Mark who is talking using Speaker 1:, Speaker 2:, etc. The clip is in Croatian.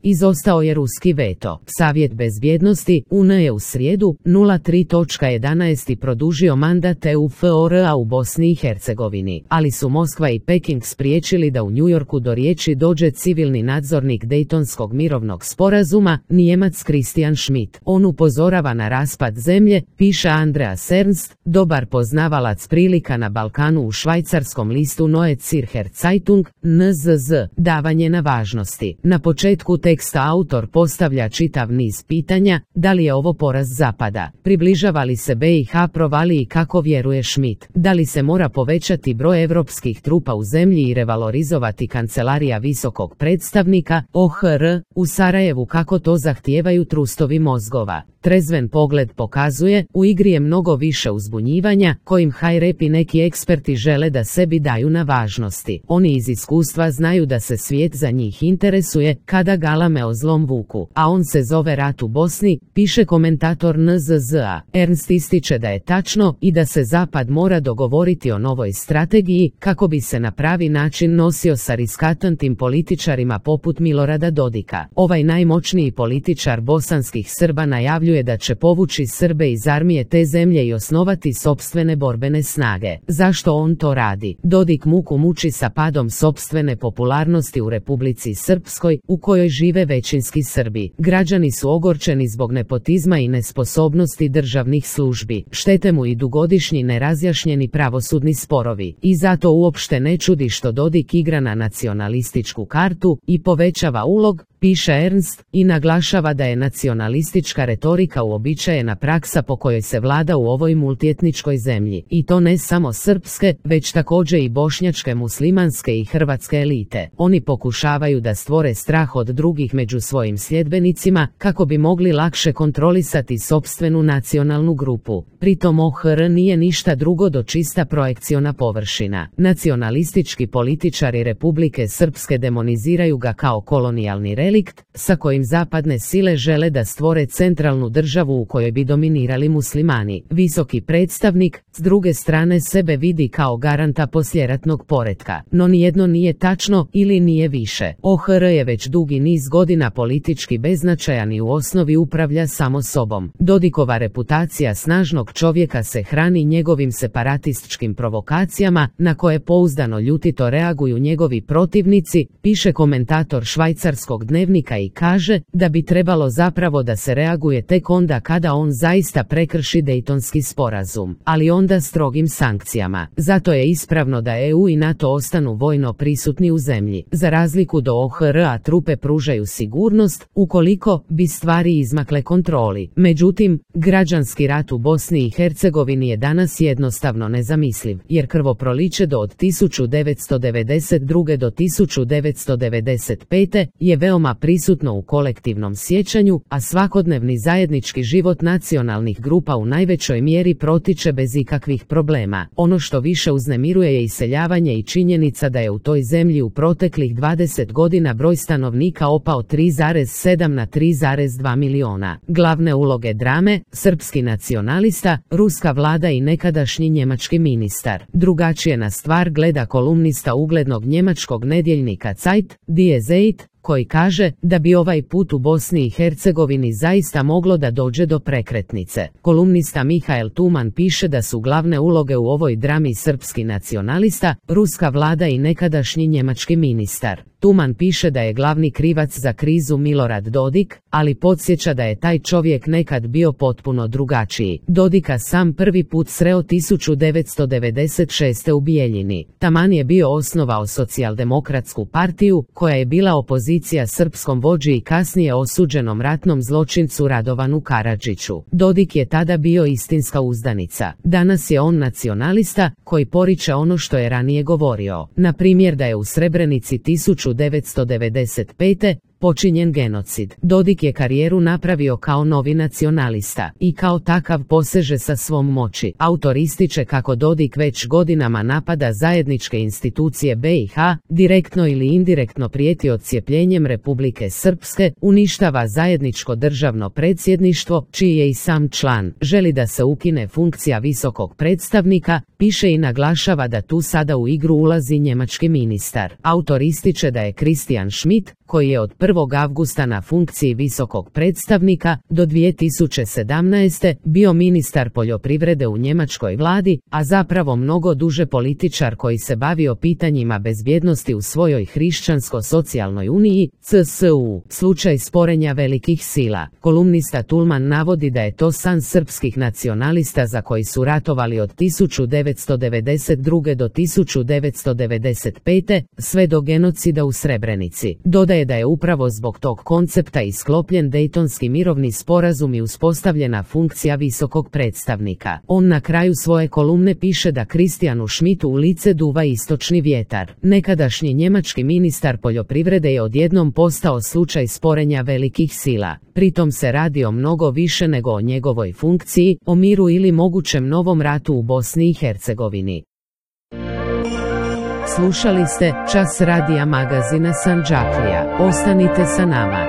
Speaker 1: Izostao je ruski veto. Savjet bezbjednosti UN je u srijedu 03.11. produžio mandat EUFOR-a u Bosni i Hercegovini, ali su Moskva i Peking spriječili da u New Yorku do riječi dođe civilni nadzornik Dejtonskog mirovnog sporazuma, Nijemac Christian Schmidt. On upozorava na raspad zemlje, piše Andreas Ernst, dobar poznavalac prilika na Balkanu u švajcarskom listu Neue Zürcher Zeitung, NZZ, davanje na važnosti. Na početku teksta autor postavlja čitav niz pitanja, da li je ovo poraz Zapada, približava li se BiH provaliji kako vjeruje Schmidt, da li se mora povećati broj evropskih trupa u zemlji i revalorizovati kancelarija visokog predstavnika, OHR, u Sarajevu kako to zahtijevaju trustovi mozgova. Trezven pogled pokazuje, u igri je mnogo više uzbunjivanja, kojim Hajrep i neki eksperti žele da sebi daju na važnosti. Oni iz iskustva znaju da se svijet za njih interesuje, kada galame o zlom vuku, a on se zove rat u Bosni, piše komentator NZZ-a. Ernst ističe da je tačno i da se Zapad mora dogovoriti o novoj strategiji, kako bi se na pravi način nosio sa riskantnim političarima poput Milorada Dodika. Ovaj najmoćniji političar bosanskih Srba najavljuje da će povući Srbe iz armije te zemlje i osnovati sopstvene borbene snage. Zašto on to radi? Dodik muku muči sa padom sopstvene popularnosti u Republici Srpskoj, u kojoj žive većinski Srbi. Građani su ogorčeni zbog nepotizma i nesposobnosti državnih službi. Štete mu i dugogodišnji nerazjašnjeni pravosudni sporovi. I zato uopšte ne čudi što Dodik igra na nacionalističku kartu i povećava ulog, piše Ernst, i naglašava da je nacionalistička retorika uobičajena praksa po kojoj se vlada u ovoj multietničkoj zemlji. I to ne samo srpske, već također i bošnjačke, muslimanske i hrvatske elite. Oni pokušavaju da stvore strah od drugih među svojim sljedbenicima, kako bi mogli lakše kontrolisati sopstvenu nacionalnu grupu. Pritom OHR nije ništa drugo do čista projekciona površina. Nacionalistički političari Republike Srpske demoniziraju ga kao kolonijalni relikt, sa kojim zapadne sile žele da stvore centralnu državu u kojoj bi dominirali muslimani. Visoki predstavnik, s druge strane, sebe vidi kao garanta poslijeratnog poretka. No nijedno nije tačno ili nije više. OHR je već dugi niz godina politički beznačajan i u osnovi upravlja samo sobom. Dodikova reputacija snažnog čovjeka se hrani njegovim separatističkim provokacijama, na koje pouzdano ljutito reaguju njegovi protivnici, piše komentator švajcarskog dnevnika i kaže da bi trebalo zapravo da se reaguje tek onda kada on zaista prekrši Dejtonski sporazum, ali onda strogim sankcijama. Zato je ispravno da EU i NATO ostanu vojno prisutni u zemlji. Za razliku do OHR-a trupe pružaju sigurnost, ukoliko bi stvari izmakle kontroli. Međutim, građanski rat u Bosni i Hercegovini je danas jednostavno nezamisliv, jer krvoproliće od 1992. do 1995. je veoma prisutno u kolektivnom sjećanju, a svakodnevni zajednički život nacionalnih grupa u najvećoj mjeri protiče bez ikakvih problema. Ono što više uznemiruje je iseljavanje i činjenica da je u toj zemlji u proteklih 20 godina broj stanovnika opao 3,7 na 3,2 miliona. Glavne uloge drame, srpski nacionalista, ruska vlada i nekadašnji njemački ministar. Drugačije na stvar gleda kolumnista uglednog njemačkog nedjeljnika Zeit, Die Zeit, koji kaže da bi ovaj put u Bosni i Hercegovini zaista moglo da dođe do prekretnice. Kolumnista Mihael Tuman piše da su glavne uloge u ovoj drami srpski nacionalista, ruska vlada i nekadašnji njemački ministar. Tuman piše da je glavni krivac za krizu Milorad Dodik, ali podsjeća da je taj čovjek nekad bio potpuno drugačiji. Dodika sam prvi put sreo 1996. u Bijeljini. Taman je bio osnovao socijaldemokratsku partiju, koja je bila opozicija srpskom vođi i kasnije osuđenom ratnom zločincu Radovanu Karadžiću. Dodik je tada bio istinska uzdanica. Danas je on nacionalista, koji poriče ono što je ranije govorio. Na primjer da je u Srebrenici 1995. počinjen genocid. Dodik je karijeru napravio kao novi nacionalista i kao takav poseže sa svom moći. Autor ističe kako Dodik već godinama napada zajedničke institucije BiH, direktno ili indirektno prijeti odcijepljenjem Republike Srpske, uništava zajedničko državno predsjedništvo, čiji je i sam član, želi da se ukine funkcija visokog predstavnika, piše i naglašava da tu sada u igru ulazi njemački ministar. Autor ističe da je Christian Schmidt, koji je od 1. avgusta na funkciji visokog predstavnika do 2017. bio ministar poljoprivrede u njemačkoj vladi, a zapravo mnogo duže političar koji se bavio pitanjima bezbjednosti u svojoj hrišćansko-socijalnoj uniji, CSU. Slučaj sporenja velikih sila. Kolumnista Tulman navodi da je to san srpskih nacionalista za koji su ratovali od 1992. do 1995. sve do genocida u Srebrenici. Dodaje da je upravo zbog tog koncepta i sklopljen Dejtonski mirovni sporazum i uspostavljena funkcija visokog predstavnika. On na kraju svoje kolumne piše da Kristijanu Schmidtu u lice duva istočni vjetar. Nekadašnji njemački ministar poljoprivrede je odjednom postao slučaj sporenja velikih sila. Pritom se radi o mnogo više nego o njegovoj funkciji, o miru ili mogućem novom ratu u Bosni i Hercegovini. Slušali ste Čas radija magazina Sandžaklija. Ostanite sa nama.